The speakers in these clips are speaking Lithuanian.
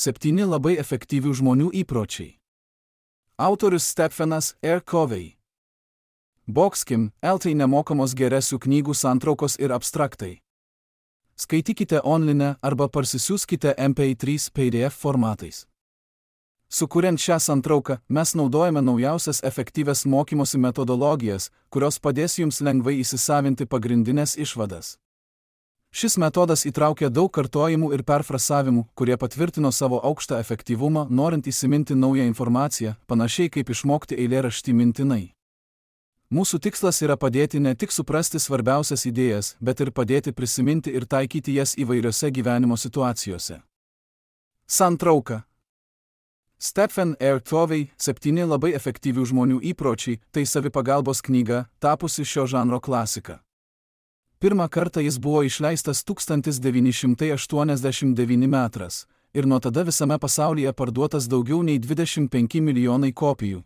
7 labai efektyvių žmonių įpročiai. Autorius Stephenas R. Covey. Boxkim, LT nemokamos geresių knygų santraukos ir abstraktai. Skaitykite online arba parsisiųskite MP3 PDF formatais. Sukuriant šią santrauką, mes naudojame naujausias efektyvias mokymosi metodologijas, kurios padės jums lengvai įsisavinti pagrindinės išvadas. Šis metodas įtraukia daug kartojimų ir perfrasavimų, kurie patvirtino savo aukštą efektyvumą, norint įsiminti naują informaciją, panašiai kaip išmokti eilėraštį mintinai. Mūsų tikslas yra padėti ne tik suprasti svarbiausias idėjas, bet ir padėti prisiminti ir taikyti jas įvairiose gyvenimo situacijose. Santrauka. Stephen R. Covey, 7 labai efektyvių žmonių įpročiai, tai savipagalbos knyga, tapusi šio žanro klasika. Pirmą kartą jis buvo išleistas 1989 metais ir nuo tada visame pasaulyje parduotas daugiau nei 25 milijonai kopijų.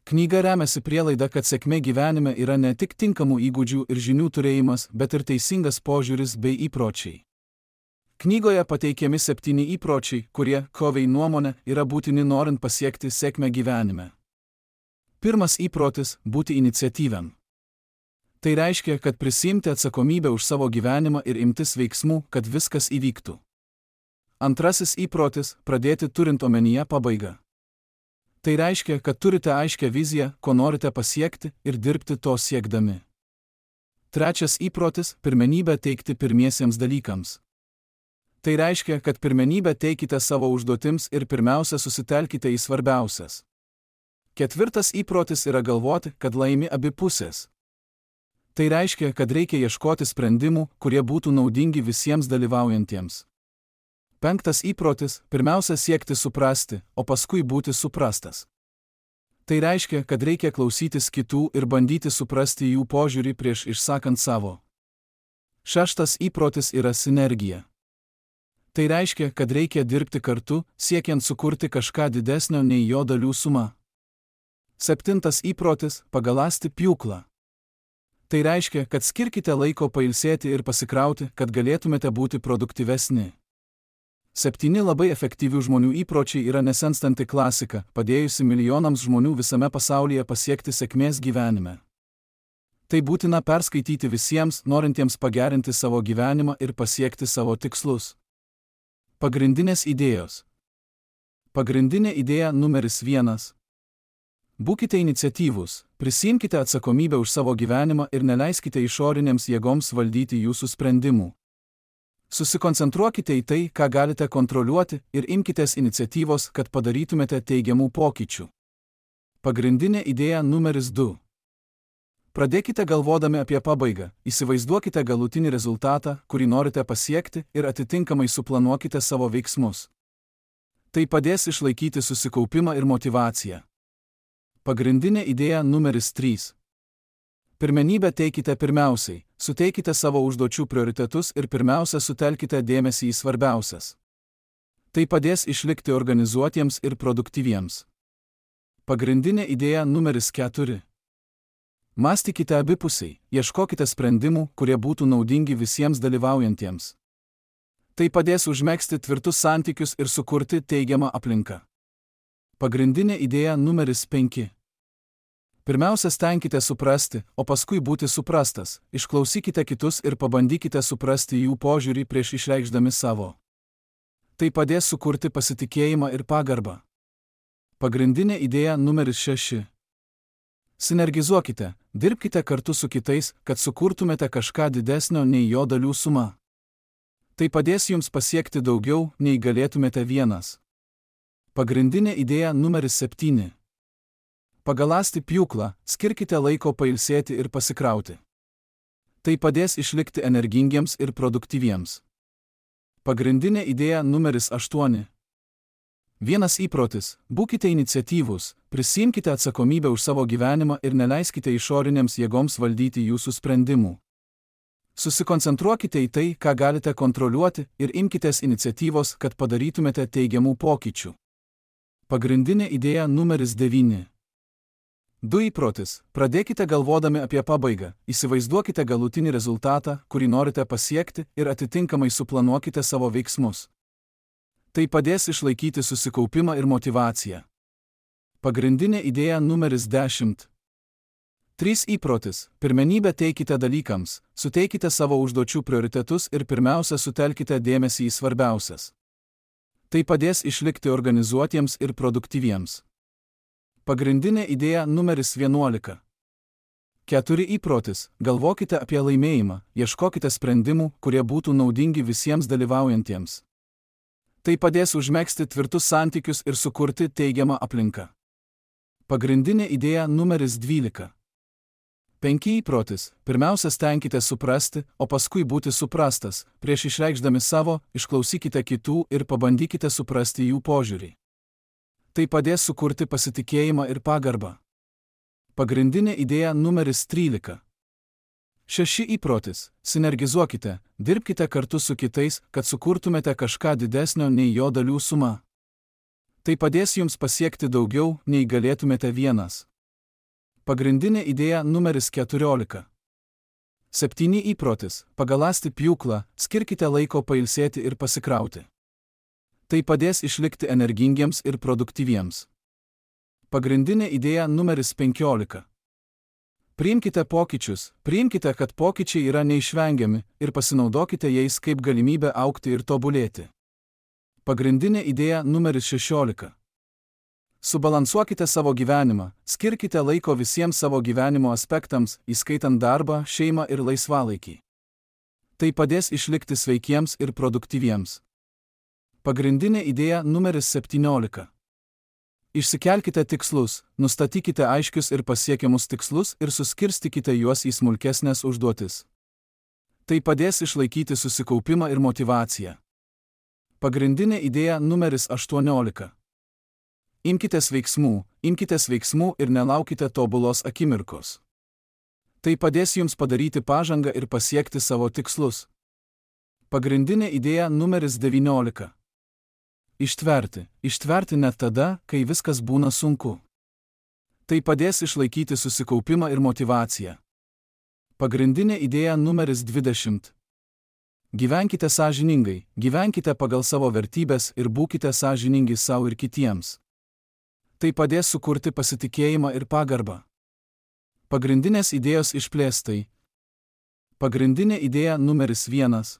Knyga remiasi prielaida, kad sėkmė gyvenime yra ne tik tinkamų įgūdžių ir žinių turėjimas, bet ir teisingas požiūris bei įpročiai. Knygoje pateikiami 7 įpročiai, kurie, Covey nuomone, yra būtini norint pasiekti sėkmę gyvenime. Pirmas įprotis – būti iniciatyviam. Tai reiškia, kad prisiimti atsakomybę už savo gyvenimą ir imtis veiksmų, kad viskas įvyktų. Antrasis įprotis – pradėti turint omenyje pabaigą. Tai reiškia, kad turite aiškią viziją, ko norite pasiekti ir dirbti to siekdami. Trečias įprotis – pirmenybę teikti pirmiesiems dalykams. Tai reiškia, kad pirmenybę teikite savo užduotims ir pirmiausia susitelkite į svarbiausias. Ketvirtas įprotis yra galvoti, kad laimi abi pusės. Tai reiškia, kad reikia ieškoti sprendimų, kurie būtų naudingi visiems dalyvaujantiems. Penktas įprotis – pirmiausia siekti suprasti, o paskui būti suprastas. Tai reiškia, kad reikia klausytis kitų ir bandyti suprasti jų požiūrį prieš išsakant savo. Šeštas įprotis yra sinergija. Tai reiškia, kad reikia dirbti kartu, siekiant sukurti kažką didesnio nei jo dalių suma. Septintas įprotis – pagaląsti pjūklą. Tai reiškia, kad skirkite laiko pailsėti ir pasikrauti, kad galėtumėte būti produktyvesni. 7 labai efektyvių žmonių įpročiai yra nesenstanti klasika, padėjusi milijonams žmonių visame pasaulyje pasiekti sėkmės gyvenime. Tai būtina perskaityti visiems, norintiems pagerinti savo gyvenimą ir pasiekti savo tikslus. Pagrindinės idėjos. Pagrindinė idėja numeris 1. Būkite iniciatyvūs, prisiimkite atsakomybę už savo gyvenimą ir neleiskite išorinėms jėgoms valdyti jūsų sprendimų. Susikoncentruokite į tai, ką galite kontroliuoti ir imkitės iniciatyvos, kad padarytumėte teigiamų pokyčių. Pagrindinė idėja numeris 2. Pradėkite galvodami apie pabaigą, įsivaizduokite galutinį rezultatą, kurį norite pasiekti ir atitinkamai suplanuokite savo veiksmus. Tai padės išlaikyti susikaupimą ir motyvaciją. Pagrindinė idėja numeris 3. Pirmenybę teikite pirmiausiai, suteikite savo užduočių prioritetus ir pirmiausia sutelkite dėmesį į svarbiausias. Tai padės išlikti organizuotiems ir produktyviems. Pagrindinė idėja numeris 4. Mąstykite abipusiai, ieškokite sprendimų, kurie būtų naudingi visiems dalyvaujantiems. Tai padės užmegzti tvirtus santykius ir sukurti teigiamą aplinką. Pagrindinė idėja numeris 5. Pirmiausia, stenkite suprasti, o paskui būti suprastas, išklausykite kitus ir pabandykite suprasti jų požiūrį prieš išreikšdami savo. Tai padės sukurti pasitikėjimą ir pagarbą. Pagrindinė idėja numeris 6. Sinergizuokite, dirbkite kartu su kitais, kad sukurtumėte kažką didesnio nei jo dalių suma. Tai padės jums pasiekti daugiau, nei galėtumėte vienas. Pagrindinė idėja numeris 7. Pagaląsti pjūklą, skirkite laiko pailsėti ir pasikrauti. Tai padės išlikti energingiems ir produktyviems. Pagrindinė idėja numeris 8. Vienas įprotis – būkite iniciatyvūs, prisiimkite atsakomybę už savo gyvenimą ir neleiskite išorinėms jėgoms valdyti jūsų sprendimų. Susikoncentruokite į tai, ką galite kontroliuoti ir imkitės iniciatyvos, kad padarytumėte teigiamų pokyčių. Pagrindinė idėja numeris 9. 2 įprotis – pradėkite galvodami apie pabaigą, įsivaizduokite galutinį rezultatą, kurį norite pasiekti ir atitinkamai suplanuokite savo veiksmus. Tai padės išlaikyti susikaupimą ir motyvaciją. Pagrindinė idėja numeris 10. 3 įprotis. Pirmenybę teikite dalykams, suteikite savo užduočių prioritetus ir pirmiausia sutelkite dėmesį į svarbiausias. Tai padės išlikti organizuotiems ir produktyviems. Pagrindinė idėja numeris 11. 4 įprotis. Galvokite apie laimėjimą, ieškokite sprendimų, kurie būtų naudingi visiems dalyvaujantiems. Tai padės užmegzti tvirtus santykius ir sukurti teigiamą aplinką. Pagrindinė idėja numeris 12. 5 įprotis. Pirmiausia, stenkite suprasti, o paskui būti suprastas. Prieš išreikšdami savo, išklausykite kitų ir pabandykite suprasti jų požiūrį. Tai padės sukurti pasitikėjimą ir pagarbą. Pagrindinė idėja numeris 13. 6 įprotis. Sinergizuokite, dirbkite kartu su kitais, kad sukurtumėte kažką didesnio nei jo dalių suma. Tai padės jums pasiekti daugiau, nei galėtumėte vienas. Pagrindinė idėja numeris 14. 7 įprotis. Pagaląsti pjūklą, skirkite laiko pailsėti ir pasikrauti. Tai padės išlikti energingiems ir produktyviems. Pagrindinė idėja numeris 15. Priimkite pokyčius, priimkite, kad pokyčiai yra neišvengiami ir pasinaudokite jais kaip galimybę augti ir tobulėti. Pagrindinė idėja numeris 16. Subalansuokite savo gyvenimą, skirkite laiko visiems savo gyvenimo aspektams, įskaitant darbą, šeimą ir laisvalaikį. Tai padės išlikti sveikiems ir produktyviems. Pagrindinė idėja numeris 17. Išsikelkite tikslus, nustatykite aiškius ir pasiekiamus tikslus ir suskirstykite juos į smulkesnės užduotis. Tai padės išlaikyti susikaupimą ir motyvaciją. Pagrindinė idėja numeris 18. Imkitės veiksmų ir nelaukite tobulos akimirkos. Tai padės jums padaryti pažangą ir pasiekti savo tikslus. Pagrindinė idėja numeris 19. Ištverti net tada, kai viskas būna sunku. Tai padės išlaikyti susikaupimą ir motyvaciją. Pagrindinė idėja numeris 20. Gyvenkite sąžiningai, gyvenkite pagal savo vertybes ir būkite sąžiningi savo ir kitiems. Tai padės sukurti pasitikėjimą ir pagarbą. Pagrindinės idėjos išplėstai. Pagrindinė idėja numeris 1.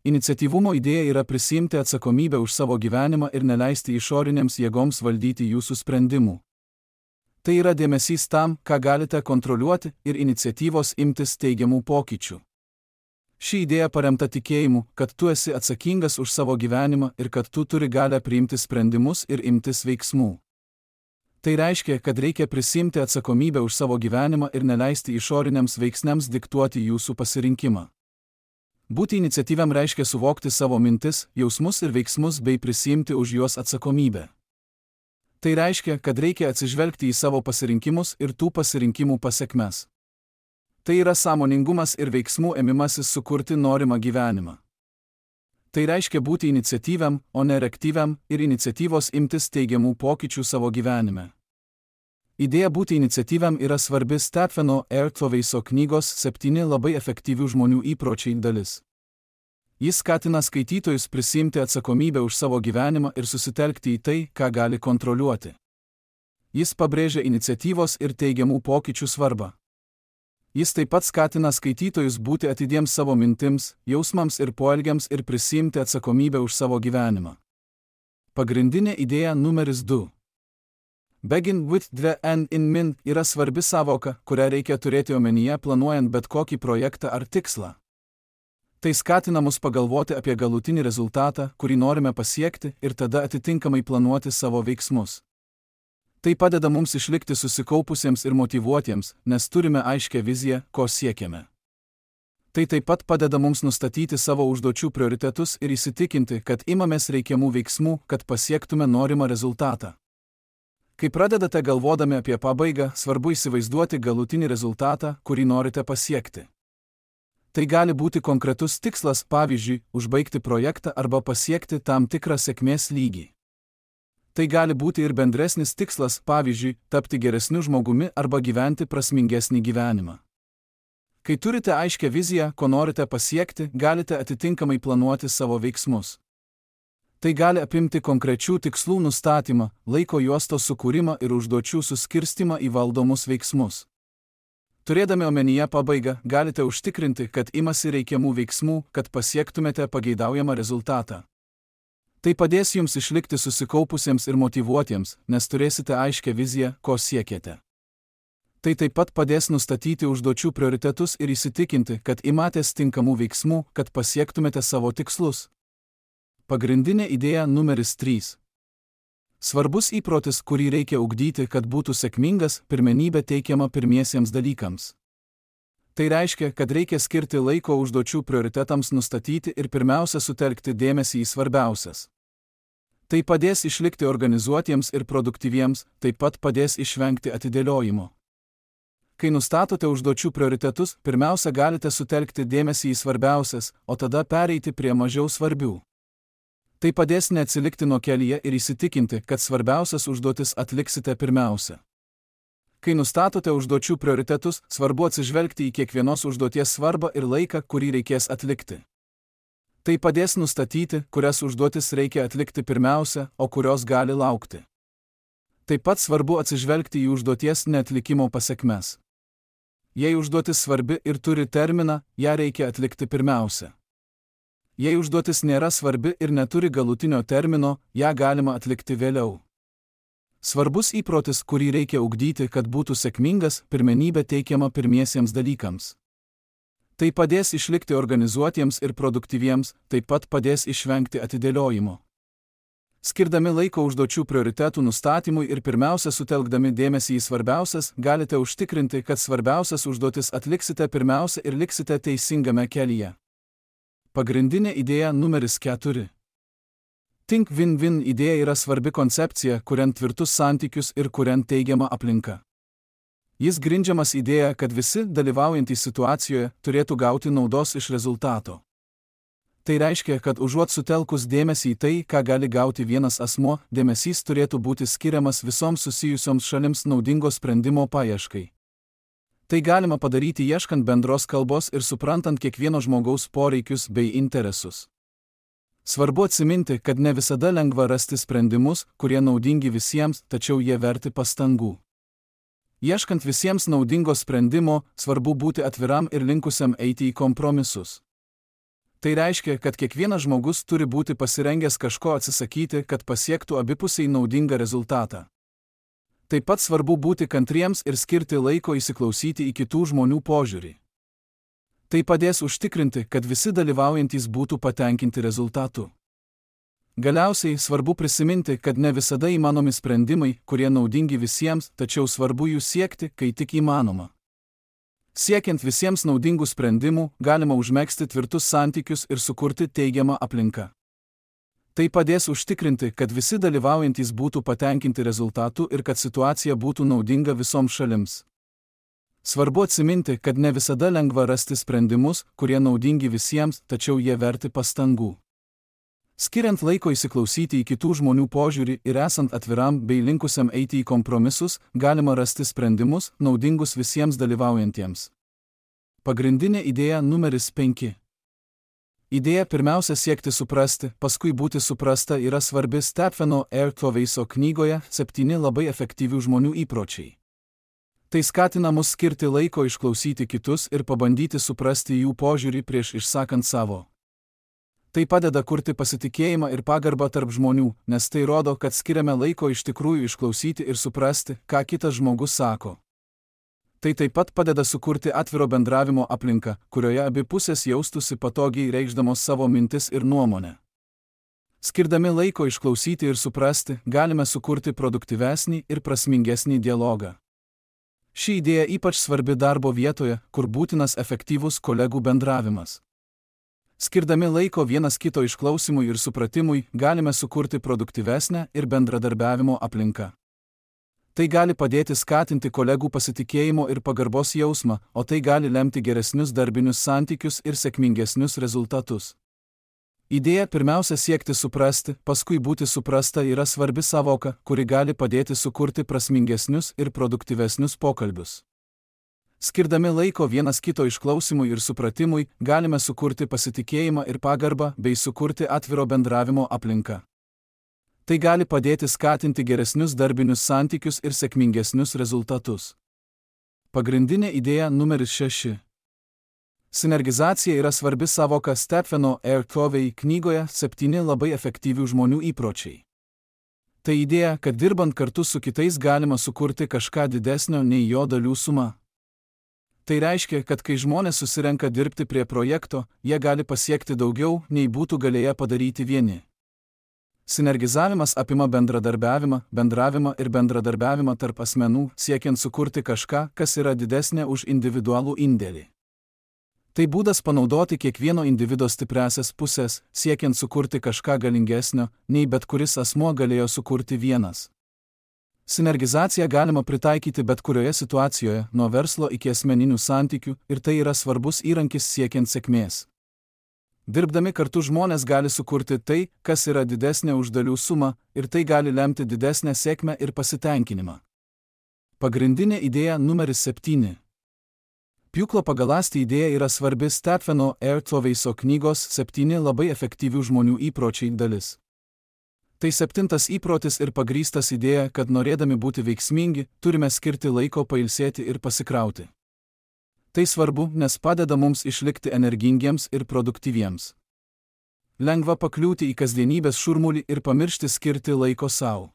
Iniciatyvumo idėja yra prisiimti atsakomybę už savo gyvenimą ir neleisti išorinėms jėgoms valdyti jūsų sprendimų. Tai yra dėmesys tam, ką galite kontroliuoti ir iniciatyvos imtis teigiamų pokyčių. Ši idėja paremta tikėjimu, kad tu esi atsakingas už savo gyvenimą ir kad tu turi galią priimti sprendimus ir imtis veiksmų. Tai reiškia, kad reikia prisiimti atsakomybę už savo gyvenimą ir neleisti išoriniams veiksniams diktuoti jūsų pasirinkimą. Būti iniciatyviam reiškia suvokti savo mintis, jausmus ir veiksmus bei prisiimti už juos atsakomybę. Tai reiškia, kad reikia atsižvelgti į savo pasirinkimus ir tų pasirinkimų pasekmes. Tai yra sąmoningumas ir veiksmų ėmimasis sukurti norimą gyvenimą. Tai reiškia būti iniciatyviam, o ne reaktyviam ir iniciatyvos imtis teigiamų pokyčių savo gyvenime. Idėja būti iniciatyviam yra svarbi Stepheno Ertveiso knygos 7 labai efektyvių žmonių įpročiai dalis. Jis skatina skaitytojus prisiimti atsakomybę už savo gyvenimą ir susitelkti į tai, ką gali kontroliuoti. Jis pabrėžia iniciatyvos ir teigiamų pokyčių svarbą. Jis taip pat skatina skaitytojus būti atidiems savo mintims, jausmams ir poelgiams ir prisiimti atsakomybę už savo gyvenimą. Pagrindinė idėja numeris 2. Begin with the end in mind yra svarbi sąvoka, kurią reikia turėti omenyje planuojant bet kokį projektą ar tikslą. Tai skatina mus pagalvoti apie galutinį rezultatą, kurį norime pasiekti ir tada atitinkamai planuoti savo veiksmus. Tai padeda mums išlikti susikaupusiems ir motyvuotiems, nes turime aiškę viziją, ko siekiame. Tai taip pat padeda mums nustatyti savo užduočių prioritetus ir įsitikinti, kad imamės reikiamų veiksmų, kad pasiektume norimą rezultatą. Kai pradedate galvodami apie pabaigą, svarbu įsivaizduoti galutinį rezultatą, kurį norite pasiekti. Tai gali būti konkretus tikslas, pavyzdžiui, užbaigti projektą arba pasiekti tam tikrą sėkmės lygį. Tai gali būti ir bendresnis tikslas, pavyzdžiui, tapti geresniu žmogumi arba gyventi prasmingesnį gyvenimą. Kai turite aiškę viziją, ko norite pasiekti, galite atitinkamai planuoti savo veiksmus. Tai gali apimti konkrečių tikslų nustatymą, laiko juostos sukūrimą ir užduočių suskirstimą į valdomus veiksmus. Turėdami omenyje pabaigą, galite užtikrinti, kad imasi reikiamų veiksmų, kad pasiektumėte pageidaujamą rezultatą. Tai padės jums išlikti susikaupusiems ir motyvuotiems, nes turėsite aiškią viziją, ko siekiate. Tai taip pat padės nustatyti užduočių prioritetus ir įsitikinti, kad imatės tinkamų veiksmų, kad pasiektumėte savo tikslus. Pagrindinė idėja numeris 3. Svarbus įprotis, kurį reikia ugdyti, kad būtų sėkmingas, pirmenybė teikiama pirmiesiems dalykams. Tai reiškia, kad reikia skirti laiko užduočių prioritetams nustatyti ir pirmiausia sutelkti dėmesį į svarbiausias. Tai padės išlikti organizuotiems ir produktyviems, taip pat padės išvengti atidėliojimo. Kai nustatote užduočių prioritetus, pirmiausia galite sutelkti dėmesį į svarbiausias, o tada pereiti prie mažiau svarbių. Tai padės neatsilikti nuo kelyje ir įsitikinti, kad svarbiausias užduotis atliksite pirmiausia. Kai nustatote užduočių prioritetus, svarbu atsižvelgti į kiekvienos užduoties svarbą ir laiką, kurį reikės atlikti. Tai padės nustatyti, kurias užduotis reikia atlikti pirmiausia, o kurios gali laukti. Taip pat svarbu atsižvelgti į užduoties neatlikimo pasekmes. Jei užduotis svarbi ir turi terminą, ją reikia atlikti pirmiausia. Jei užduotis nėra svarbi ir neturi galutinio termino, ją galima atlikti vėliau. Svarbus įprotis, kurį reikia ugdyti, kad būtų sėkmingas, pirmenybė teikiama pirmiesiems dalykams. Tai padės išlikti organizuotiems ir produktyviems, taip pat padės išvengti atidėliojimo. Skirdami laiko užduočių prioritetų nustatymui ir pirmiausia sutelkdami dėmesį į svarbiausias, galite užtikrinti, kad svarbiausias užduotis atliksite pirmiausia ir liksite teisingame kelyje. Pagrindinė idėja numeris 4. Think win-win idėja yra svarbi koncepcija, kuriant tvirtus santykius ir kuriant teigiamą aplinką. Jis grindžiamas idėja, kad visi, dalyvaujantys situacijoje, turėtų gauti naudos iš rezultato. Tai reiškia, kad užuot sutelkus dėmesį į tai, ką gali gauti vienas asmuo, dėmesys turėtų būti skiriamas visoms susijusioms šalims naudingo sprendimo paieškai. Tai galima padaryti ieškant bendros kalbos ir suprantant kiekvieno žmogaus poreikius bei interesus. Svarbu atsiminti, kad ne visada lengva rasti sprendimus, kurie naudingi visiems, tačiau jie verti pastangų. Ieškant visiems naudingo sprendimo, svarbu būti atviram ir linkusiam eiti į kompromisus. Tai reiškia, kad kiekvienas žmogus turi būti pasirengęs kažko atsisakyti, kad pasiektų abipusiai naudingą rezultatą. Taip pat svarbu būti kantriems ir skirti laiko įsiklausyti į kitų žmonių požiūrį. Tai padės užtikrinti, kad visi dalyvaujantys būtų patenkinti rezultatu. Galiausiai svarbu prisiminti, kad ne visada įmanomi sprendimai, kurie naudingi visiems, tačiau svarbu jų siekti, kai tik įmanoma. Siekiant visiems naudingų sprendimų, galima užmegzti tvirtus santykius ir sukurti teigiamą aplinką. Tai padės užtikrinti, kad visi dalyvaujantys būtų patenkinti rezultatu ir kad situacija būtų naudinga visoms šalims. Svarbu atsiminti, kad ne visada lengva rasti sprendimus, kurie naudingi visiems, tačiau jie verti pastangų. Skiriant laiko įsiklausyti į kitų žmonių požiūrį ir esant atviram bei linkusiam eiti į kompromisus, galima rasti sprendimus, naudingus visiems dalyvaujantiems. Pagrindinė idėja numeris 5. Idėja pirmiausia siekti suprasti, paskui būti suprasta yra svarbi Stepheno R. Coveyso knygoje 7 labai efektyvių žmonių įpročiai. Tai skatina mus skirti laiko išklausyti kitus ir pabandyti suprasti jų požiūrį prieš išsakant savo. Tai padeda kurti pasitikėjimą ir pagarbą tarp žmonių, nes tai rodo, kad skiriame laiko iš tikrųjų išklausyti ir suprasti, ką kitas žmogus sako. Tai taip pat padeda sukurti atviro bendravimo aplinką, kurioje abi pusės jaustųsi patogiai reikšdamos savo mintis ir nuomonę. Skirdami laiko išklausyti ir suprasti, galime sukurti produktyvesnį ir prasmingesnį dialogą. Ši idėja ypač svarbi darbo vietoje, kur būtinas efektyvus kolegų bendravimas. Skirdami laiko vienas kito išklausimui ir supratimui, galime sukurti produktyvesnę ir bendradarbiavimo aplinką. Tai gali padėti skatinti kolegų pasitikėjimo ir pagarbos jausmą, o tai gali lemti geresnius darbinius santykius ir sėkmingesnius rezultatus. Idėja pirmiausia siekti suprasti, paskui būti suprasta yra svarbi sąvoka, kuri gali padėti sukurti prasmingesnius ir produktyvesnius pokalbius. Skirdami laiko vienas kito išklausimui ir supratimui, galime sukurti pasitikėjimą ir pagarbą bei sukurti atviro bendravimo aplinką. Tai gali padėti skatinti geresnius darbinius santykius ir sėkmingesnius rezultatus. Pagrindinė idėja numeris 6. Sinergizacija yra svarbi savoka Stepheno R. Covey knygoje 7 labai efektyvių žmonių įpročiai. Tai idėja, kad dirbant kartu su kitais galima sukurti kažką didesnio nei jo dalių suma. Tai reiškia, kad kai žmonės susirenka dirbti prie projekto, jie gali pasiekti daugiau, nei būtų galėję padaryti vieni. Sinergizavimas apima bendradarbiavimą, bendravimą ir bendradarbiavimą tarp asmenų, siekiant sukurti kažką, kas yra didesnė už individualų indėlį. Tai būdas panaudoti kiekvieno individo stipriąsias pusės, siekiant sukurti kažką galingesnio, nei bet kuris asmuo galėjo sukurti vienas. Sinergizaciją galima pritaikyti bet kurioje situacijoje, nuo verslo iki asmeninių santykių, ir tai yra svarbus įrankis siekiant sėkmės. Dirbdami kartu žmonės gali sukurti tai, kas yra didesnė už dalių sumą, ir tai gali lemti didesnę sėkmę ir pasitenkinimą. Pagrindinė idėja numeris 7. Pjūklo pagaląsti idėja yra svarbi Stepheno R. Coveyso knygos 7 labai efektyvių žmonių įpročiai dalis. Tai 7 įprotis ir pagrįstas idėja, kad norėdami būti veiksmingi, turime skirti laiko pailsėti ir pasikrauti. Tai svarbu, nes padeda mums išlikti energingiems ir produktyviems. Lengva pakliūti į kasdienybės šurmulį ir pamiršti skirti laiko savo.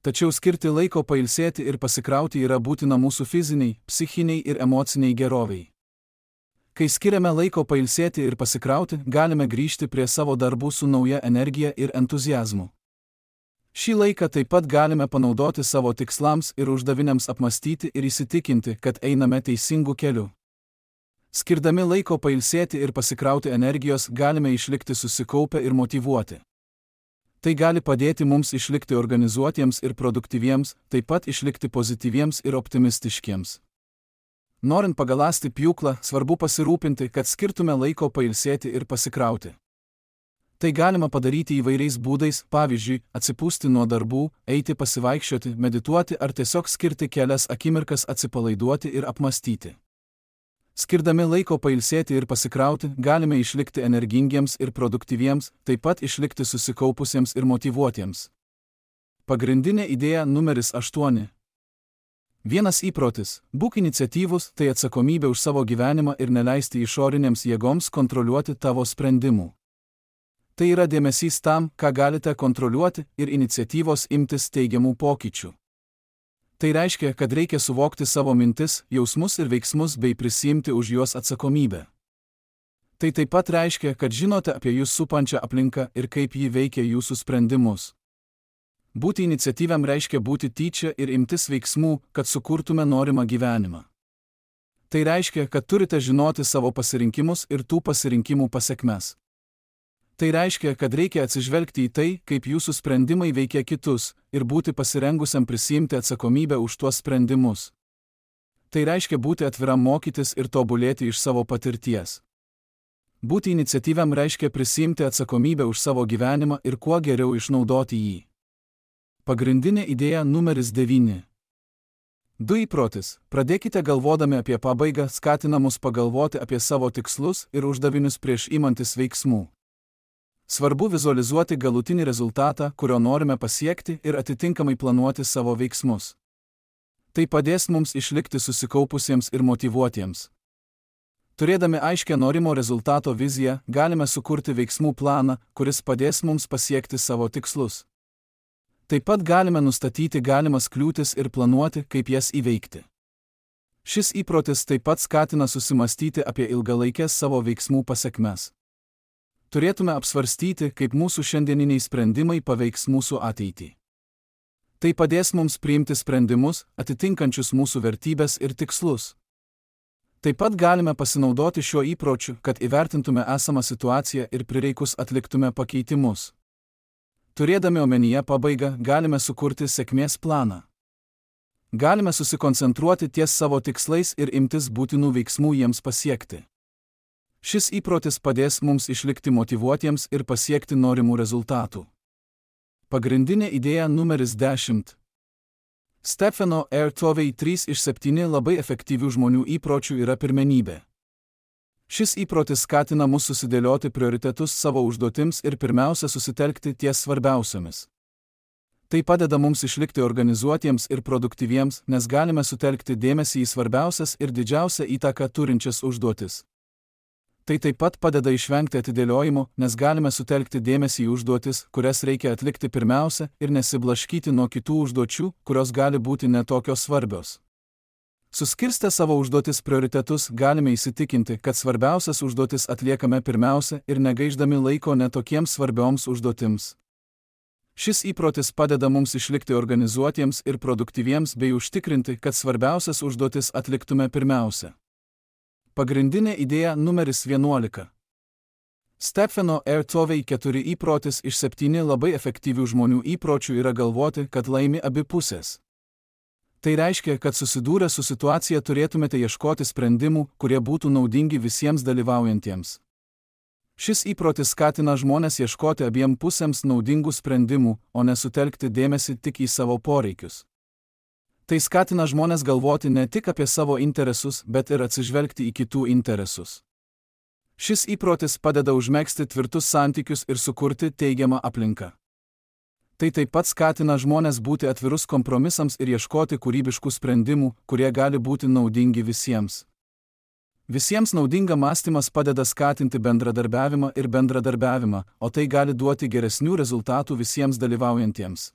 Tačiau skirti laiko pailsėti ir pasikrauti yra būtina mūsų fiziniai, psichiniai ir emociniai geroviai. Kai skiriame laiko pailsėti ir pasikrauti, galime grįžti prie savo darbų su nauja energija ir entuziazmu. Šį laiką taip pat galime panaudoti savo tikslams ir uždaviniams apmastyti ir įsitikinti, kad einame teisingu keliu. Skirdami laiko pailsėti ir pasikrauti energijos, galime išlikti susikaupę ir motyvuoti. Tai gali padėti mums išlikti organizuotiems ir produktyviems, taip pat išlikti pozityviems ir optimistiškiems. Norint pagaląsti pjūklą, svarbu pasirūpinti, kad skirtume laiko pailsėti ir pasikrauti. Tai galima padaryti įvairiais būdais, pavyzdžiui, atsipūsti nuo darbų, eiti pasivaikščioti, medituoti ar tiesiog skirti kelias akimirkas atsipalaiduoti ir apmastyti. Skirdami laiko pailsėti ir pasikrauti, galime išlikti energingiems ir produktyviems, taip pat išlikti susikaupusiems ir motyvuotiems. Pagrindinė idėja numeris 8. Vienas įprotis – būk iniciatyvus, tai atsakomybė už savo gyvenimą ir neleisti išorinėms jėgoms kontroliuoti tavo sprendimų. Tai yra dėmesys tam, ką galite kontroliuoti ir iniciatyvos imtis teigiamų pokyčių. Tai reiškia, kad reikia suvokti savo mintis, jausmus ir veiksmus bei prisiimti už juos atsakomybę. Tai taip pat reiškia, kad žinote apie jūs supančią aplinką ir kaip ji veikia jūsų sprendimus. Būti iniciatyviam reiškia būti tyčia ir imtis veiksmų, kad sukurtume norimą gyvenimą. Tai reiškia, kad turite žinoti savo pasirinkimus ir tų pasirinkimų pasekmes. Tai reiškia, kad reikia atsižvelgti į tai, kaip jūsų sprendimai veikia kitus, ir būti pasirengusiam prisiimti atsakomybę už tuos sprendimus. Tai reiškia būti atviram mokytis ir tobulėti iš savo patirties. Būti iniciatyviam reiškia prisiimti atsakomybę už savo gyvenimą ir kuo geriau išnaudoti jį. Pagrindinė idėja numeris 9. 2 įprotis. Pradėkite galvodami apie pabaigą, skatina mus pagalvoti apie savo tikslus ir uždavinius prieš imantis veiksmų. Svarbu vizualizuoti galutinį rezultatą, kurio norime pasiekti ir atitinkamai planuoti savo veiksmus. Tai padės mums išlikti susikaupusiems ir motyvuotiems. Turėdami aiškę norimo rezultato viziją, galime sukurti veiksmų planą, kuris padės mums pasiekti savo tikslus. Taip pat galime nustatyti galimas kliūtis ir planuoti, kaip jas įveikti. Šis įprotis taip pat skatina susimastyti apie ilgalaikės savo veiksmų pasekmes. Turėtume apsvarstyti, kaip mūsų šiandieniniai sprendimai paveiks mūsų ateitį. Tai padės mums priimti sprendimus, atitinkančius mūsų vertybės ir tikslus. Taip pat galime pasinaudoti šiuo įpročiu, kad įvertintume esamą situaciją ir prireikus atliktume pakeitimus. Turėdami omenyje pabaigą, galime sukurti sėkmės planą. Galime susikoncentruoti ties savo tikslais ir imtis būtinų veiksmų jiems pasiekti. Šis įprotis padės mums išlikti motyvuotiems ir pasiekti norimų rezultatų. Pagrindinė idėja numeris 10. Stefano R. Covey 3 iš 7 labai efektyvių žmonių įpročių yra pirmenybė. Šis įprotis skatina mus susidėlioti prioritetus savo užduotims ir pirmiausia susitelkti ties svarbiausiomis. Tai padeda mums išlikti organizuotiems ir produktyviems, nes galime sutelkti dėmesį į svarbiausias ir didžiausią įtaką turinčias užduotis. Tai taip pat padeda išvengti atidėliojimo, nes galime sutelkti dėmesį į užduotis, kurias reikia atlikti pirmiausia ir nesiblaškyti nuo kitų užduočių, kurios gali būti netokios svarbios. Suskirstę savo užduotis prioritetus galime įsitikinti, kad svarbiausias užduotis atliekame pirmiausia ir negaišdami laiko netokiems svarbioms užduotims. Šis įprotis padeda mums išlikti organizuotiems ir produktyviems bei užtikrinti, kad svarbiausias užduotis atliktume pirmiausia. Pagrindinė idėja numeris 11. Stefano R. Covey 4 įprotis iš 7 labai efektyvių žmonių įpročių yra galvoti, kad laimi abi pusės. Tai reiškia, kad susidūrę su situacija turėtumėte ieškoti sprendimų, kurie būtų naudingi visiems dalyvaujantiems. Šis įprotis skatina žmones ieškoti abiem pusėms naudingų sprendimų, o ne sutelkti dėmesį tik į savo poreikius. Tai skatina žmones galvoti ne tik apie savo interesus, bet ir atsižvelgti į kitų interesus. Šis įprotis padeda užmegzti tvirtus santykius ir sukurti teigiamą aplinką. Tai taip pat skatina žmones būti atvirus kompromisams ir ieškoti kūrybiškų sprendimų, kurie gali būti naudingi visiems. Visiems naudinga mąstymas padeda skatinti bendradarbiavimą, o tai gali duoti geresnių rezultatų visiems dalyvaujantiems.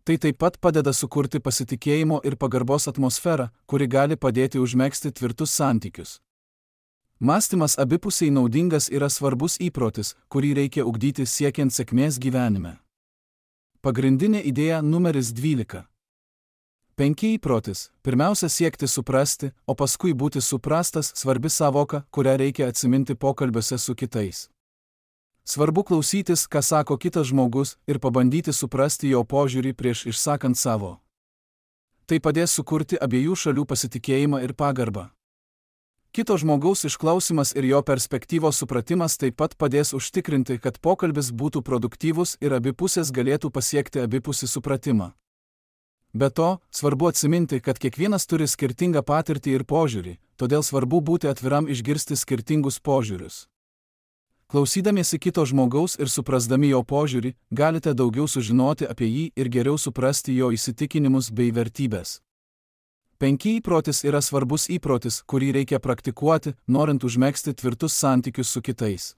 Tai taip pat padeda sukurti pasitikėjimo ir pagarbos atmosferą, kuri gali padėti užmegzti tvirtus santykius. Mąstymas abipusiai naudingas yra svarbus įprotis, kurį reikia ugdyti siekiant sėkmės gyvenime. Pagrindinė idėja numeris 12. 5 įprotis. Pirmiausia siekti suprasti, o paskui būti suprastas svarbi sąvoka, kurią reikia atsiminti pokalbiuose su kitais. Svarbu klausytis, ką sako kitas žmogus, ir pabandyti suprasti jo požiūrį prieš išsakant savo. Tai padės sukurti abiejų šalių pasitikėjimą ir pagarbą. Kito žmogaus išklausimas ir jo perspektyvos supratimas taip pat padės užtikrinti, kad pokalbis būtų produktyvus ir abi pusės galėtų pasiekti abipusį supratimą. Be to, svarbu atsiminti, kad kiekvienas turi skirtingą patirtį ir požiūrį, todėl svarbu būti atviram išgirsti skirtingus požiūrius. Klausydamiesi kito žmogaus ir suprasdami jo požiūrį, galite daugiau sužinoti apie jį ir geriau suprasti jo įsitikinimus bei vertybės. 5 įprotis yra svarbus įprotis, kurį reikia praktikuoti, norint užmegzti tvirtus santykius su kitais.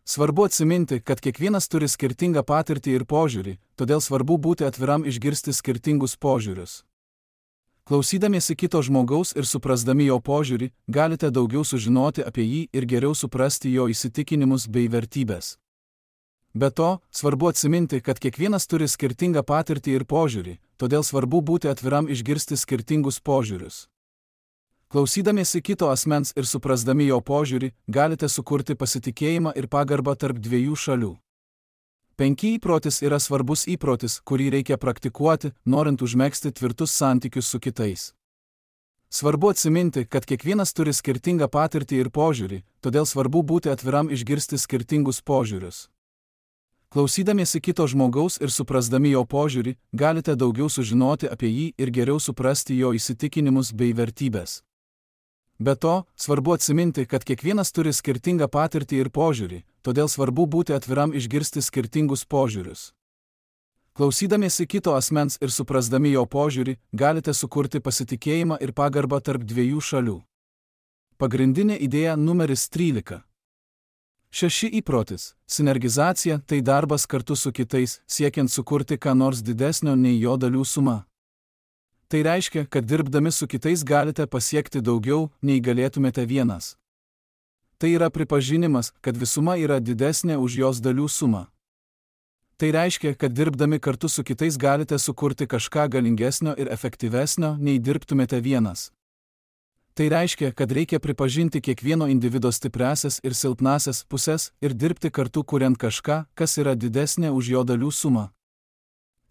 Svarbu atsiminti, kad kiekvienas turi skirtingą patirtį ir požiūrį, todėl svarbu būti atviram išgirsti skirtingus požiūrius. Klausydamiesi kito žmogaus ir suprasdami jo požiūrį, galite daugiau sužinoti apie jį ir geriau suprasti jo įsitikinimus bei vertybės. Be to, svarbu atsiminti, kad kiekvienas turi skirtingą patirtį ir požiūrį, todėl svarbu būti atviram išgirsti skirtingus požiūrius. Klausydamiesi kito asmens ir suprasdami jo požiūrį, galite sukurti pasitikėjimą ir pagarbą tarp dviejų šalių. 5 įprotis yra svarbus įprotis, kurį reikia praktikuoti, norint užmegzti tvirtus santykius su kitais. Svarbu atsiminti, kad kiekvienas turi skirtingą patirtį ir požiūrį, todėl svarbu būti atviram išgirsti skirtingus požiūrius. Klausydamiesi kito žmogaus ir suprasdami jo požiūrį, galite daugiau sužinoti apie jį ir geriau suprasti jo įsitikinimus bei vertybės. Be to, svarbu atsiminti, kad kiekvienas turi skirtingą patirtį ir požiūrį, todėl svarbu būti atviram išgirsti skirtingus požiūrius. Klausydamiesi kito asmens ir suprasdami jo požiūrį, galite sukurti pasitikėjimą ir pagarbą tarp dviejų šalių. Pagrindinė idėja numeris 13. 6 įprotis. Sinergizacija – tai darbas kartu su kitais, siekiant sukurti ką nors didesnio nei jo dalių suma. Tai reiškia, kad dirbdami su kitais galite pasiekti daugiau, nei galėtumėte vienas. Tai yra pripažinimas, kad visuma yra didesnė už jos dalių sumą. Tai reiškia, kad dirbdami kartu su kitais galite sukurti kažką galingesnio ir efektyvesnio, nei dirbtumėte vienas. Tai reiškia, kad reikia pripažinti kiekvieno individo stipriąsias ir silpnąsias pusės ir dirbti kartu kuriant kažką, kas yra didesnė už jo dalių sumą.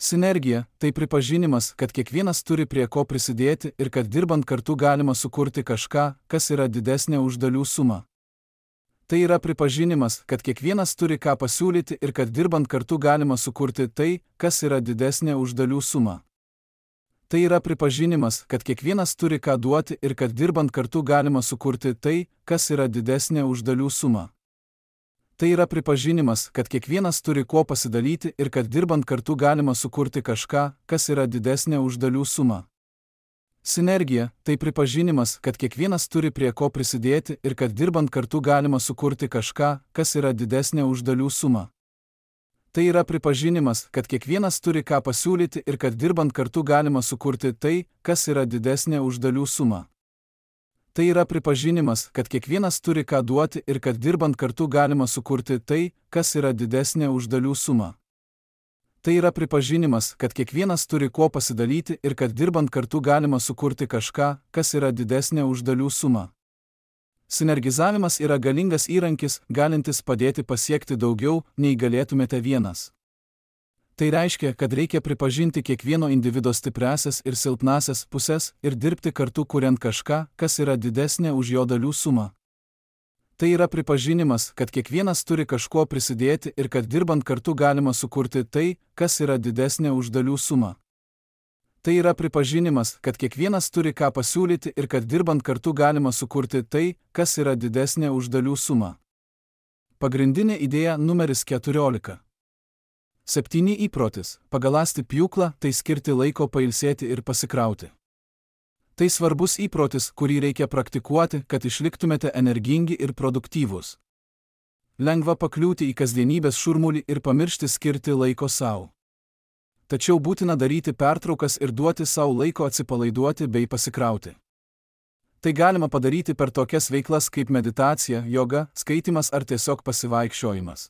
Sinergija – tai pripažinimas, kad kiekvienas turi prie ko prisidėti ir kad dirbant kartu galima sukurti kažką, kas yra didesnė už dalių sumą. Tai yra pripažinimas, kad kiekvienas turi ką pasiūlyti ir kad dirbant kartu galima sukurti tai, kas yra didesnė už dalių sumą. Tai yra pripažinimas, kad kiekvienas turi ką duoti ir kad dirbant kartu galima sukurti tai, kas yra didesnė už dalių sumą. Tai yra pripažinimas, kad kiekvienas turi kuo pasidalyti ir kad dirbant kartu galima sukurti kažką, kas yra didesnė už dalių sumą. Sinergija – tai pripažinimas, kad kiekvienas turi prie ko prisidėti ir kad dirbant kartu galima sukurti kažką, kas yra didesnė už dalių sumą. Tai yra pripažinimas, kad kiekvienas turi ką pasiūlyti ir kad dirbant kartu galima sukurti tai, kas yra didesnė už dalių sumą. Tai yra pripažinimas, kad kiekvienas turi ką duoti ir kad dirbant kartu galima sukurti tai, kas yra didesnė už dalių sumą. Tai yra pripažinimas, kad kiekvienas turi kuo pasidalyti ir kad dirbant kartu galima sukurti kažką, kas yra didesnė už dalių sumą. Sinergizavimas yra galingas įrankis, galintis padėti pasiekti daugiau, nei galėtumėte vienas. Tai reiškia, kad reikia pripažinti kiekvieno individo stipriąsias ir silpnąsias pusės ir dirbti kartu kuriant kažką, kas yra didesnė už jo dalių sumą. Tai yra pripažinimas, kad kiekvienas turi kažkuo prisidėti ir kad dirbant kartu galima sukurti tai, kas yra didesnė už dalių sumą. Tai yra pripažinimas, kad kiekvienas turi ką pasiūlyti ir kad dirbant kartu galima sukurti tai, kas yra didesnė už dalių sumą. Pagrindinė idėja numeris 14. 7 įprotis – pagaląsti pjūklą, tai skirti laiko pailsėti ir pasikrauti. Tai svarbus įprotis, kurį reikia praktikuoti, kad išliktumėte energingi ir produktyvūs. Lengva pakliūti į kasdienybės šurmulį ir pamiršti skirti laiko savo. Tačiau būtina daryti pertraukas ir duoti savo laiko atsipalaiduoti bei pasikrauti. Tai galima padaryti per tokias veiklas kaip meditacija, joga, skaitymas ar tiesiog pasivaikščiojimas.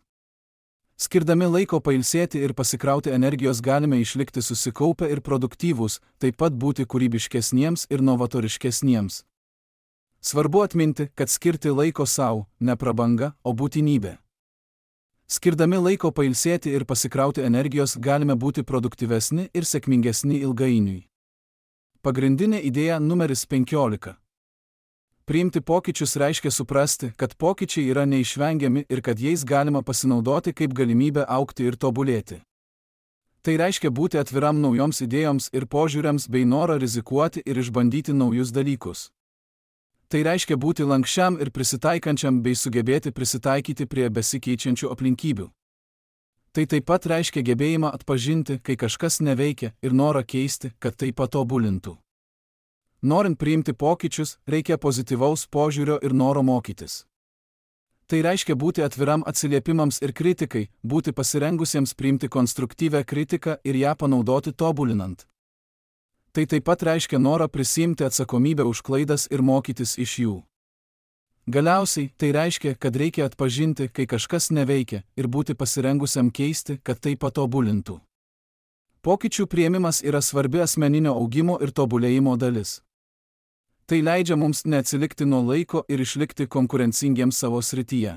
Skirdami laiko pailsėti ir pasikrauti energijos galime išlikti susikaupę ir produktyvūs, taip pat būti kūrybiškesniems ir novatoriškesniems. Svarbu atminti, kad skirti laiko savo – ne prabanga, o būtinybė. Skirdami laiko pailsėti ir pasikrauti energijos galime būti produktyvesni ir sėkmingesni ilgainiui. Pagrindinė idėja numeris 15. Priimti pokyčius reiškia suprasti, kad pokyčiai yra neišvengiami ir kad jais galima pasinaudoti kaip galimybę augti ir tobulėti. Tai reiškia būti atviram naujoms idėjoms ir požiūriams bei norą rizikuoti ir išbandyti naujus dalykus. Tai reiškia būti lankščiam ir prisitaikančiam bei sugebėti prisitaikyti prie besikeičiančių aplinkybių. Tai taip pat reiškia gebėjimą atpažinti, kai kažkas neveikia ir norą keisti, kad tai patobulintų. Norint priimti pokyčius, reikia pozityvaus požiūrio ir noro mokytis. Tai reiškia būti atviram atsiliepimams ir kritikai, būti pasirengusiems priimti konstruktyvią kritiką ir ją panaudoti tobulinant. Tai taip pat reiškia norą prisiimti atsakomybę už klaidas ir mokytis iš jų. Galiausiai, tai reiškia, kad reikia atpažinti, kai kažkas neveikia, ir būti pasirengusiam keisti, kad tai patobulintų. Pokyčių priėmimas yra svarbi asmeninio augimo ir tobulėjimo dalis. Tai leidžia mums neatsilikti nuo laiko ir išlikti konkurencingiems savo srityje.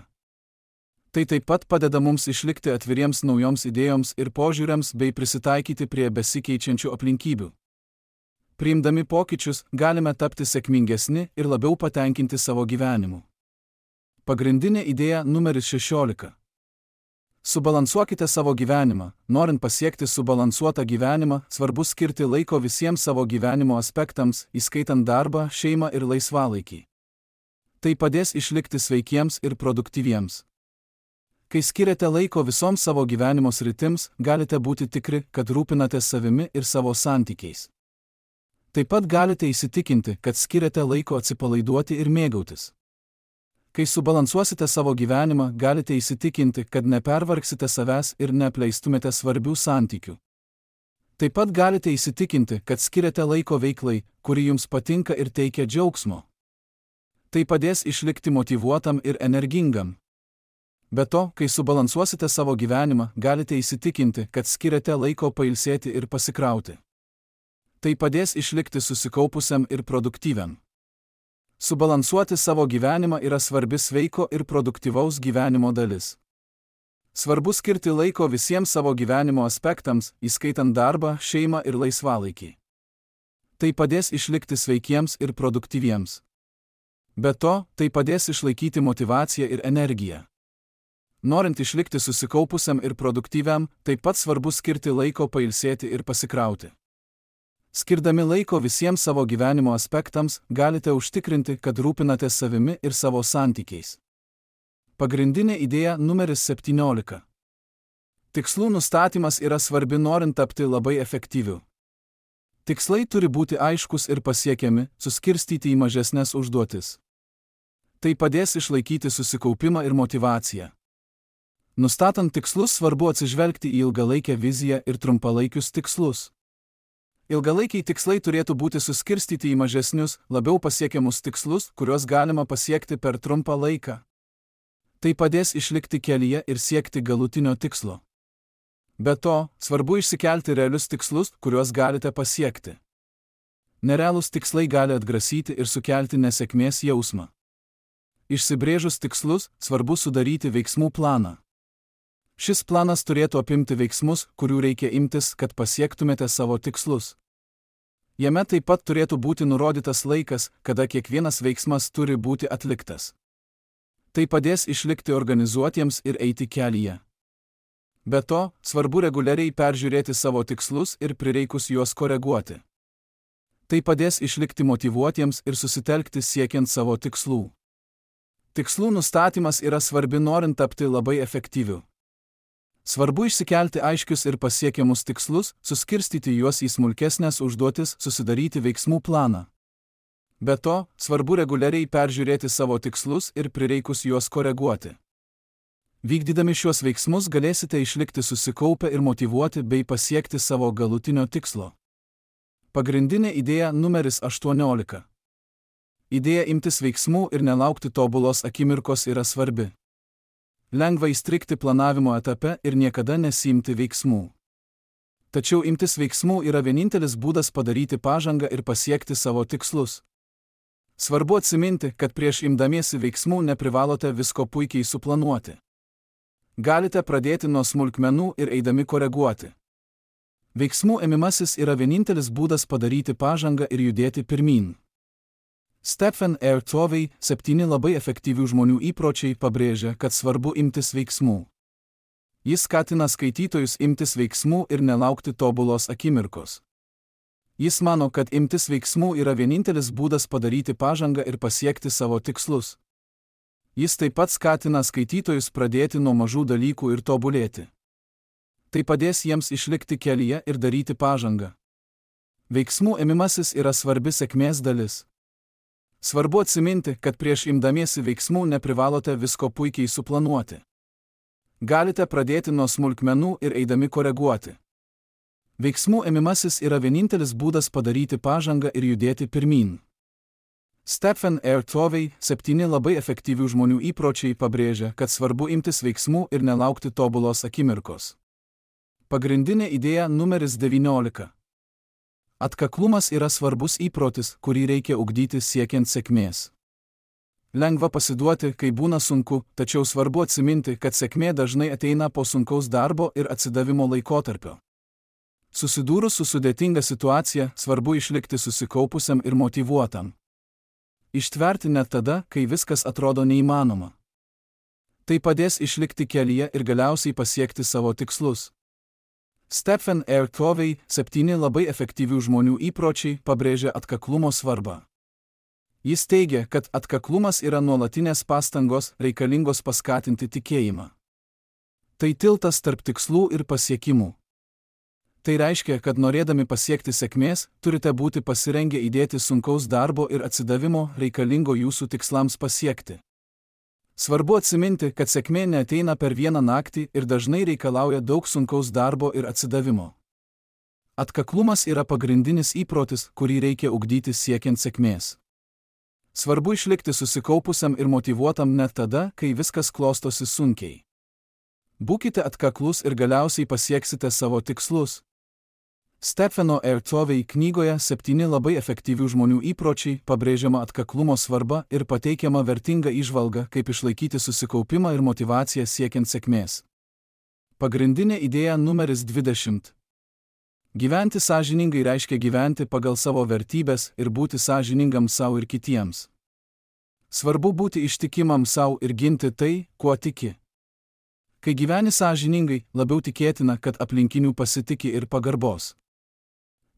Tai taip pat padeda mums išlikti atviriems naujoms idėjoms ir požiūriams bei prisitaikyti prie besikeičiančių aplinkybių. Priimdami pokyčius, galime tapti sėkmingesni ir labiau patenkinti savo gyvenimu. Pagrindinė idėja numeris 16. Subalansuokite savo gyvenimą. Norint pasiekti subalansuotą gyvenimą, svarbu skirti laiko visiems savo gyvenimo aspektams, įskaitant darbą, šeimą ir laisvalaikį. Tai padės išlikti sveikiems ir produktyviems. Kai skiriate laiko visoms savo gyvenimo sritims, galite būti tikri, kad rūpinatės savimi ir savo santykiais. Taip pat galite įsitikinti, kad skiriate laiko atsipalaiduoti ir mėgautis. Kai subalansuosite savo gyvenimą, galite įsitikinti, kad nepervargsite savęs ir neapleistumėte svarbių santykių. Taip pat galite įsitikinti, kad skiriate laiko veiklai, kuri jums patinka ir teikia džiaugsmo. Tai padės išlikti motyvuotam ir energingam. Be to, kai subalansuosite savo gyvenimą, galite įsitikinti, kad skiriate laiko pailsėti ir pasikrauti. Tai padės išlikti susikaupusiam ir produktyviam. Subalansuoti savo gyvenimą yra svarbi sveiko ir produktyvaus gyvenimo dalis. Svarbu skirti laiko visiems savo gyvenimo aspektams, įskaitant darbą, šeimą ir laisvalaikį. Tai padės išlikti sveikiems ir produktyviems. Be to, tai padės išlaikyti motyvaciją ir energiją. Norint išlikti susikaupusiam ir produktyviam, taip pat svarbu skirti laiko pailsėti ir pasikrauti. Skirdami laiko visiems savo gyvenimo aspektams, galite užtikrinti, kad rūpinatės savimi ir savo santykiais. Pagrindinė idėja numeris 17. Tikslų nustatymas yra svarbi norint tapti labai efektyviu. Tikslai turi būti aiškus ir pasiekiami, suskirstyti į mažesnes užduotis. Tai padės išlaikyti susikaupimą ir motyvaciją. Nustatant tikslus svarbu atsižvelgti į ilgalaikę viziją ir trumpalaikius tikslus. Ilgalaikiai tikslai turėtų būti suskirstyti į mažesnius, labiau pasiekiamus tikslus, kuriuos galima pasiekti per trumpą laiką. Tai padės išlikti kelyje ir siekti galutinio tikslo. Be to, svarbu išsikelti realius tikslus, kuriuos galite pasiekti. Nerealūs tikslai gali atgrasyti ir sukelti nesėkmės jausmą. Išsibrėžus tikslus, svarbu sudaryti veiksmų planą. Šis planas turėtų apimti veiksmus, kurių reikia imtis, kad pasiektumėte savo tikslus. Jame taip pat turėtų būti nurodytas laikas, kada kiekvienas veiksmas turi būti atliktas. Tai padės išlikti organizuotiems ir eiti kelyje. Be to, svarbu reguliariai peržiūrėti savo tikslus ir prireikus juos koreguoti. Tai padės išlikti motyvuotiems ir susitelkti siekiant savo tikslų. Tikslų nustatymas yra svarbi norint tapti labai efektyviu. Svarbu išsikelti aiškius ir pasiekiamus tikslus, suskirstyti juos į smulkesnės užduotis, susidaryti veiksmų planą. Be to, svarbu reguliariai peržiūrėti savo tikslus ir prireikus juos koreguoti. Vykdydami šiuos veiksmus galėsite išlikti susikaupę ir motyvuoti bei pasiekti savo galutinio tikslo. Pagrindinė idėja numeris 18. Idėja imtis veiksmų ir nelaukti tobulos akimirkos yra svarbi. Lengva įstrigti planavimo etape ir niekada nesiimti veiksmų. Tačiau imtis veiksmų yra vienintelis būdas padaryti pažangą ir pasiekti savo tikslus. Svarbu atsiminti, kad prieš imdamiesi veiksmų neprivalote visko puikiai suplanuoti. Galite pradėti nuo smulkmenų ir eidami koreguoti. Veiksmų ėmimasis yra vienintelis būdas padaryti pažangą ir judėti pirmyn. Stephen R. Covey, 7 labai efektyvių žmonių įpročiai pabrėžia, kad svarbu imtis veiksmų. Jis skatina skaitytojus imtis veiksmų ir nelaukti tobulos akimirkos. Jis mano, kad imtis veiksmų yra vienintelis būdas padaryti pažangą ir pasiekti savo tikslus. Jis taip pat skatina skaitytojus pradėti nuo mažų dalykų ir tobulėti. Tai padės jiems išlikti kelyje ir daryti pažangą. Veiksmų ėmimasis yra svarbi sėkmės dalis. Svarbu atsiminti, kad prieš imdamiesi veiksmų neprivalote visko puikiai suplanuoti. Galite pradėti nuo smulkmenų ir eidami koreguoti. Veiksmų ėmimasis yra vienintelis būdas padaryti pažangą ir judėti pirmyn. Stephen R. Covey, 7 labai efektyvių žmonių įpročiai pabrėžia, kad svarbu imtis veiksmų ir nelaukti tobulos akimirkos. Pagrindinė idėja numeris 19. Atkaklumas yra svarbus įprotis, kurį reikia ugdyti siekiant sėkmės. Lengva pasiduoti, kai būna sunku, tačiau svarbu atsiminti, kad sėkmė dažnai ateina po sunkaus darbo ir atsidavimo laikotarpio. Susidūrus su sudėtinga situacija, svarbu išlikti susikaupusiam ir motyvuotam. Ištverti net tada, kai viskas atrodo neįmanoma. Tai padės išlikti kelyje ir galiausiai pasiekti savo tikslus. Stephen R. Covey, 7 labai efektyvių žmonių įpročiai pabrėžia atkaklumo svarbą. Jis teigia, kad atkaklumas yra nuolatinės pastangos, reikalingos paskatinti tikėjimą. Tai tiltas tarp tikslų ir pasiekimų. Tai reiškia, kad norėdami pasiekti sėkmės, turite būti pasirengę įdėti sunkaus darbo ir atsidavimo reikalingo jūsų tikslams pasiekti. Svarbu atsiminti, kad sėkmė neateina per vieną naktį ir dažnai reikalauja daug sunkaus darbo ir atsidavimo. Atkaklumas yra pagrindinis įprotis, kurį reikia ugdyti siekiant sėkmės. Svarbu išlikti susikaupusiam ir motyvuotam net tada, kai viskas klostosi sunkiai. Būkite atkaklus ir galiausiai pasieksite savo tikslus. Stepheno R. Covey knygoje 7 labai efektyvių žmonių įpročiai pabrėžiama atkaklumo svarba ir pateikiama vertinga įžvalga, kaip išlaikyti susikaupimą ir motyvaciją siekiant sėkmės. Pagrindinė idėja numeris 20. Gyventi sąžiningai reiškia gyventi pagal savo vertybes ir būti sąžiningam savo ir kitiems. Svarbu būti ištikimam savo ir ginti tai, kuo tiki. Kai gyveni sąžiningai, labiau tikėtina, kad aplinkinių pasitiki ir pagarbos.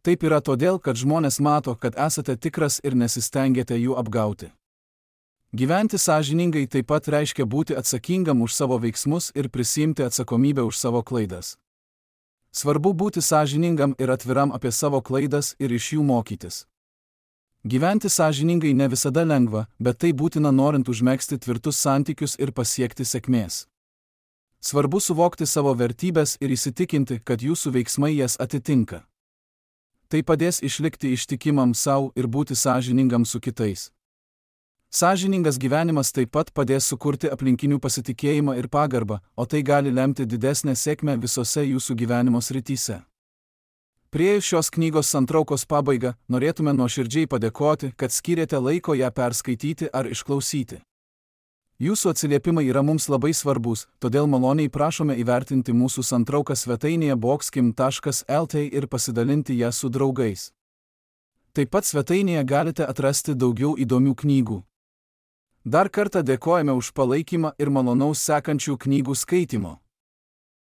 Taip yra todėl, kad žmonės mato, kad esate tikras ir nesistengiate jų apgauti. Gyventi sąžiningai taip pat reiškia būti atsakingam už savo veiksmus ir prisiimti atsakomybę už savo klaidas. Svarbu būti sąžiningam ir atviram apie savo klaidas ir iš jų mokytis. Gyventi sąžiningai ne visada lengva, bet tai būtina norint užmegzti tvirtus santykius ir pasiekti sėkmės. Svarbu suvokti savo vertybes ir įsitikinti, kad jūsų veiksmai jas atitinka. Tai padės išlikti ištikimam savo ir būti sąžiningam su kitais. Sąžiningas gyvenimas taip pat padės sukurti aplinkinių pasitikėjimą ir pagarbą, o tai gali lemti didesnę sėkmę visose jūsų gyvenimo srityse. Priėjus šios knygos santraukos pabaigą, norėtume nuoširdžiai padėkoti, kad skyrėte laiko ją perskaityti ar išklausyti. Jūsų atsiliepimai yra mums labai svarbus, todėl maloniai prašome įvertinti mūsų santrauką svetainėje boxkim.lt ir pasidalinti ją su draugais. Taip pat svetainėje galite atrasti daugiau įdomių knygų. Dar kartą dėkojame už palaikymą ir malonaus sekančių knygų skaitymo.